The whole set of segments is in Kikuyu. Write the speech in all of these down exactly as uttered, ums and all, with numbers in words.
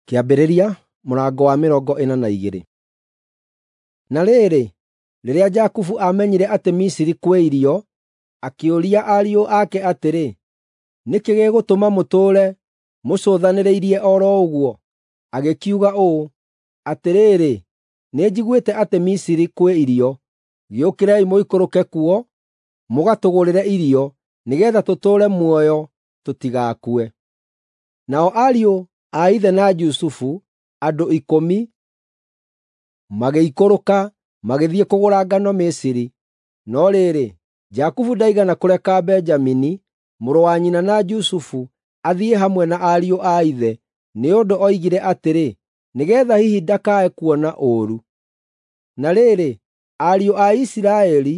Kĩambĩrĩria mũrango wa mĩrongo ĩna na igĩrĩ. Na rĩrĩ, rĩrĩa Jakubu aamenyire atĩ Misiri kwĩ irio, akĩũria ariũ ake atĩrĩ, “Nĩ kĩĩ gĩgũtũma mũtũũre mũcũthanĩrĩirie o ro ũguo?” Agĩkiuga ũũ, “Atĩrĩrĩ, nĩnjiguĩte atĩ Misiri kwĩ irio. Gĩũkĩrei mũikũrũke kuo, mũgatũgũrĩre irio, nĩgeetha tũtũũre muoyo tũtigakue.” Nao ariũ a ithe na Jusufu, andũ ikũmi, magĩikũrũka magĩthiĩ kũgũra ngano Misiri. No rĩrĩ, Jakubu ndaigana kũreka Benjamini, mũrũ wa nyina na Jusufu, athiĩ hamwe na ariũ a ithe, nĩ ũndũ oigire atĩrĩ, “Nĩgeetha hihi ndakae kuona ũũru.” Na rĩrĩ, ariũ a Isiraeli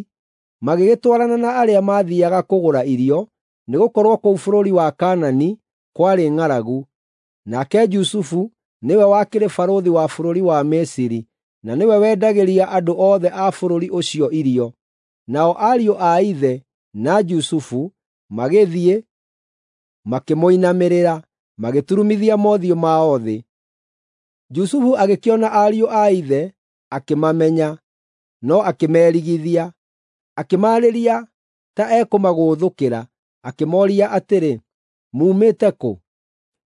magĩgĩtwarana na arĩa maathiiaga kũgũra irio, nĩgũkorwo kũu bũrũri wa Kaanani kwarĩ ng'aragu. Nake Jusufu nĩwe wakĩrĩ barũthi wa bũrũri wa Misiri, na nĩwe wendagĩria andũ othe a bũrũri ũcio irio. Nao ariũ a ithe na Jusufu magĩthiĩ, makĩmũinamĩrĩra, magĩturumithia mothiũ mao thĩ. Jusufu agĩkĩona ariũ a ithe, akĩmamenya, no akĩmerigithia. Akĩmaarĩria ta ekũmagũũthũkĩra, akĩmooria atĩrĩ, “Muumĩte kũ?”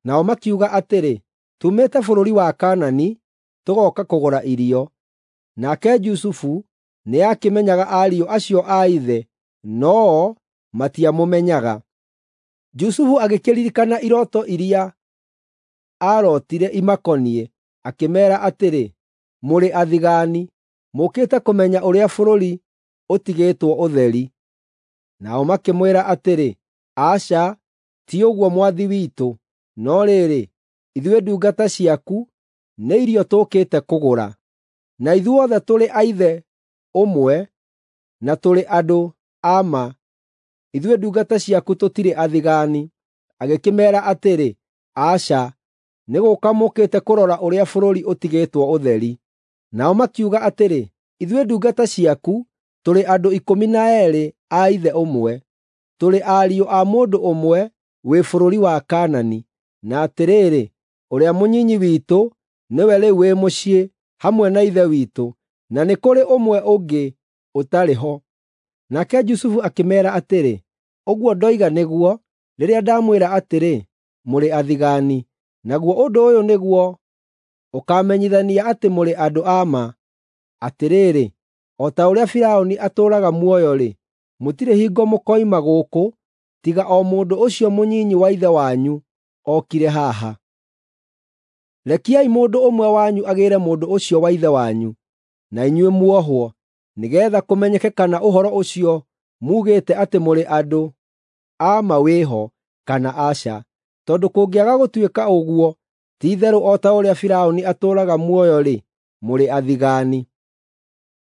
Nao makiuga atĩrĩ, “Tuumĩte bũrũri wa Kaanani, tũgooka kũgũra irio.” Nake Jusufu nĩakĩmenyaga ariũ acio a ithe, no-o matiamũmenyaga. Jusufu agĩkĩririkana irooto iria aarootire imakoniĩ, akĩmeera atĩrĩ, “Mũrĩ athigaani! Mũũkĩte kũmenya ũrĩa bũrũri ũtigĩtwo ũtheri.” Nao makĩmwĩra atĩrĩ, “Aca, ti ũguo mwathi witũ, no rĩrĩ, ithuĩ ndungata ciaku nĩ irio tũũkĩte kũgũra. Na ithuothe tũrĩ a ithe ũmwe na tũrĩ andũ a ma. Ithuĩ ndungata ciaku tũtirĩ athigaani.” Agĩkĩmeera atĩrĩ, “Aca, nĩ gũũka mũũkĩte kũrora ũrĩa bũrũri ũtigĩtwo ũtheri.” Nao makiuga atĩrĩ, “Ithuĩ ndungata ciaku tũrĩ andũ ikũmi na eerĩ a ithe ũmwe. Tũrĩ ariũ a mũndũ ũmwe wĩ bũrũri wa Kaanani, na atĩrĩrĩ, ũrĩa mũnyinyi witũ nĩwe rĩu wĩ mũciĩ hamwe na ithe witũ, na nĩ kũrĩ ũmwe ũngĩ ũtarĩ ho.” Nake Jusufu akĩmeera atĩrĩ, “Ũguo ndoiga nĩguo, rĩrĩa ndamwĩra atĩrĩ, ‘Mũrĩ athigaani.’ Naguo ũndũ ũyũ nĩguo ũkaamenyithania atĩ mũrĩ andũ a ma: Atĩrĩrĩ, o ta ũrĩa Firaũni atũũraga muoyo-rĩ, mũtirĩ hingo mũkoima gũkũ tiga o mũndũ ũcio mũnyinyi wa ithe wanyu okire haha. Rekiai mũndũ ũmwe wanyu agĩĩre mũndũ ũcio wa ithe wanyu, na inyuĩ muohwo, nĩgeetha kũmenyeke kana ũhoro ũcio muugĩte atĩ mũrĩ andũ a ma wĩho, kana aca. Tondũ kũngĩaga gũtuĩka ũguo, ti-itherũ o ta ũrĩa Firaũni atũũraga muoyo-rĩ, mũrĩ athigaani.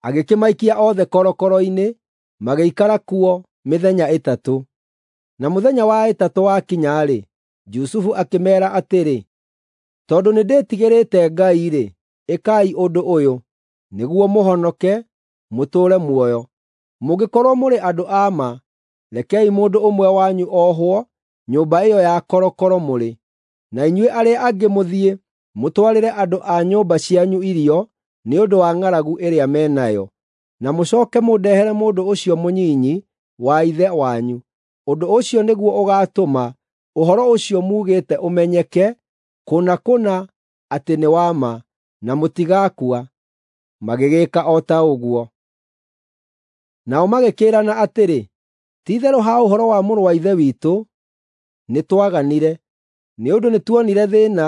Agĩkĩmaikia othe korokoro-inĩ, magĩikara kuo mĩthenya ĩtatũ. Na mũthenya wa ĩtatũ wakinya-rĩ, Jusufu akĩmeera atĩrĩ, “Tondũ nĩndĩtigĩrĩte Ngai-rĩ, ĩkai ũndũ ũyũ, nĩguo mũhonoke, mũtũũre muoyo. Mũngĩkorwo mũrĩ andũ a ma, rekei mũndũ ũmwe wanyu ohwo nyũmba ĩyo ya korokoro mũrĩ, na inyuĩ arĩa angĩ mũthiĩ mũtwarĩre andũ a nyũmba cianyu irio nĩ ũndũ wa ng'aragu ĩrĩa me nayo, na mũcooke mũndehere mũndũ ũcio mũnyinyi wa ithe wanyu. Ũndũ ũcio nĩguo ũgaatũma ũhoro ũcio muugĩte ũmenyeke kũna kũna atĩ nĩ wa ma, na mũtigaakua.” Magĩgĩĩka o ta ũguo. Nao magĩkĩĩrana atĩrĩ, “Ti-itherũ ha ũhoro wa mũrũ wa ithe witũ, nĩtwaganire, nĩ ũndũ nĩtuonire thĩĩna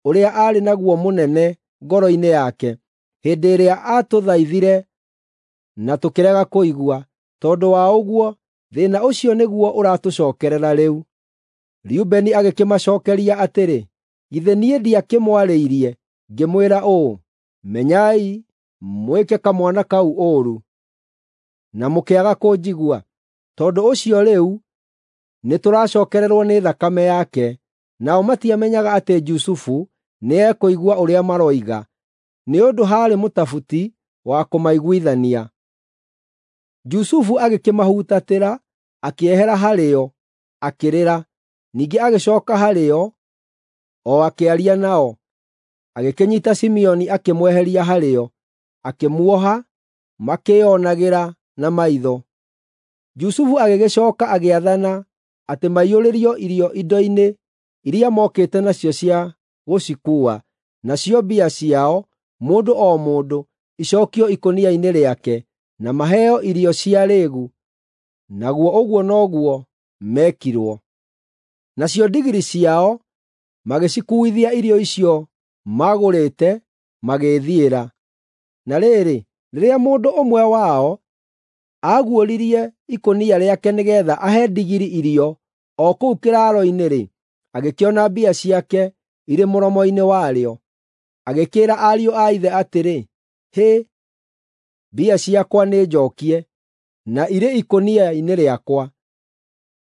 ũrĩa aarĩ naguo mũnene ngoro-inĩ yake hĩndĩ ĩrĩa aatũthaithire na tũkĩrega kũigua. Tondũ wa ũguo, thĩĩna ũcio nĩguo ũratũcookerera rĩu.” Rubeni agĩkĩmacookeria atĩrĩ, “Githĩ niĩ ndiakĩmwarĩirie, ngĩmwĩra ũũ, ‘Menyai mwĩke kamwana kau ũũru,’ na mũkĩaga kũnjigua? Tondũ ũcio rĩu nĩtũracookererwo nĩ thakame yake.” Nao matiamenyaga atĩ Jusufu nĩekũigua ũrĩa maroiga, nĩ ũndũ haarĩ mũtabuti wa kũmaiguithania. Jusufu agĩkĩmahutatĩra, akĩehera harĩo, akĩrĩra. Ningĩ agĩcooka harĩo, o akĩaria nao. Agĩkĩnyiita Simeoni akĩmweheria harĩo, akĩmuoha makĩĩonagĩra na maitho. Jusufu agĩgĩcooka agĩathana atĩ maiyũrĩrio irio indo-inĩ iria mookĩte nacio cia gũcikuua, nacio mbia ciao, mũndũ o mũndũ, icookio ikũnia-inĩ rĩake, na maheo irio cia rĩĩgu. Naguo ũguo noguo meekirwo. Nacio ndigiri ciao magĩcikuuithia irio icio maagũrĩte, magĩĩthiĩra. Na rĩrĩ, rĩrĩa mũndũ ũmwe wao aaguũririe ikũnia rĩake nĩgeetha ahe ndigiri irio o kũu kĩraaro-inĩ-rĩ, agĩkĩona mbia ciake irĩ mũromo-inĩ warĩo. Agĩkĩĩra ariũ a ithe atĩrĩ, “Hĩ, mbia ciakwa nĩnjookie, na irĩ ikũnia-inĩ rĩakwa!”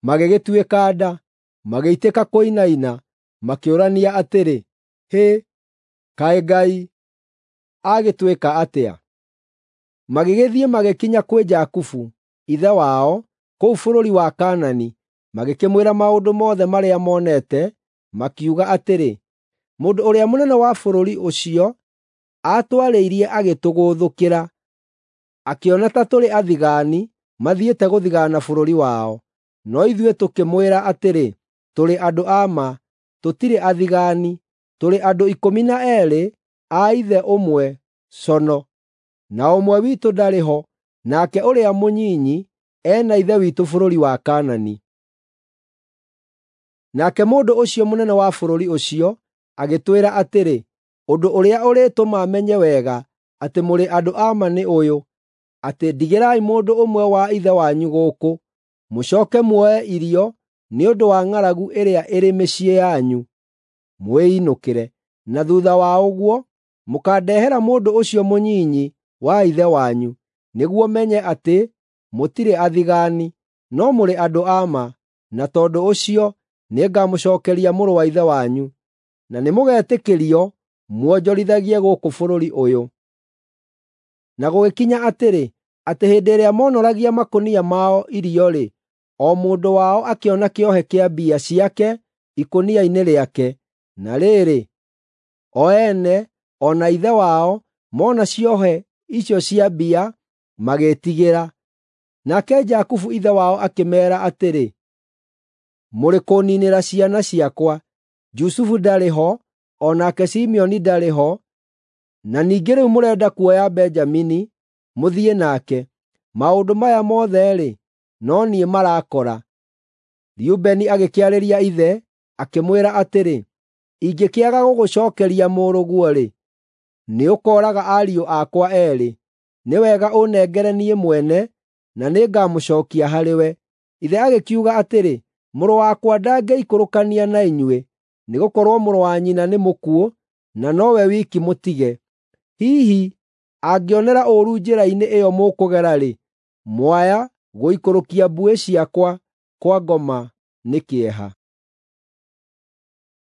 Magĩgĩtuĩka nda, magĩitĩka kũinaina, makĩũrania atĩrĩ, “Hĩ, kaĩ Ngai agĩtwĩka atĩa?” Magĩgĩthiĩ magĩkinya kwĩ Jakubu, ithe wao, kũu bũrũri wa Kaanani, magĩkĩmwĩra maũndũ mothe marĩa monete, makiuga atĩrĩ, “Mũndũ ũrĩa mũnene wa bũrũri ũcio aatwarĩirie agĩtũgũthũkĩra, akĩona ta tũrĩ athigaani mathiĩte gũthigaana bũrũri wao. No ithuĩ tũkĩmwĩra atĩrĩ, ‘Tũrĩ andũ a ma, tũtirĩ athigaani, tũrĩ andũ ikũmi na eerĩ a ithe ũmwe cono, na ũmwe witũ ndarĩ ho, nake ũrĩa mũnyinyi e na ithe witũ bũrũri wa Kaanani.’ Nake mũndũ ũcio mũnene wa bũrũri ũcio agĩtwĩra atĩrĩ, ‘Ũndũ ũrĩa ũrĩtũma menye wega atĩ mũrĩ andũ a ma nĩ ũyũ, atĩ ndigĩrai mũndũ ũmwe wa ithe wanyu gũkũ, mũcooke muoe irio nĩ ũndũ wa ng'aragu ĩrĩa ĩrĩ mĩciĩ yanyu, mwĩinũkĩre. Na thuutha wa ũguo, mũkandehera mũndũ ũcio mũnyinyi wa ithe wanyu, nĩguo menye atĩ mũtirĩ athigaani, no mũrĩ andũ a ma, na tondũ ũcio nĩngamũcookeria mũrũ wa ithe wanyu, na nĩmũgetĩkĩrio muonjorithagie gũkũ bũrũri ũyũ.’ Na gũgĩkinya atĩrĩ, atĩ hĩndĩ ĩrĩa moonoragia makũnia mao irio-rĩ, o mũndũ wao akĩona kĩohe kĩa mbia ciake ikũnia-inĩ rĩake. Na rĩrĩ, o ene o na ithe wao mona ciohe icio cia mbia, magĩĩtigĩra. Nake Jakubu ithe wao akĩmeera atĩrĩ, “Mũrĩ kũũniinĩra ciana ciakwa. Jusufu ndarĩ ho, o nake Simeoni ndarĩ ho, na ningĩ rĩu mũrenda kuoya Benjamini mũthiĩ nake. Maũndũ maya mothe-rĩ, no niĩ marakora.” Rubeni agĩkĩarĩria ithe, akĩmwĩra atĩrĩ, “Ingĩkĩaga gũgũcookeria mũrũguo-rĩ, nĩũkooraga ariũ akwa eerĩ. Nĩ wega ũnengere niĩ mwene, na nĩngamũcookia harĩwe.” Ithe agĩkiuga atĩrĩ, “Mũrũ wakwa ndangĩikũrũkania na inyuĩ, nĩgũkorwo mũrũ wa nyina nĩ mũkuũ, na nowe wiki mũtige. Hihi angĩonera ũũru njĩra-inĩ ĩyo mũkũgera-rĩ, mwaya gũikũrũkia mbuĩ ciakwa kwa ngoma nĩ kĩeha.”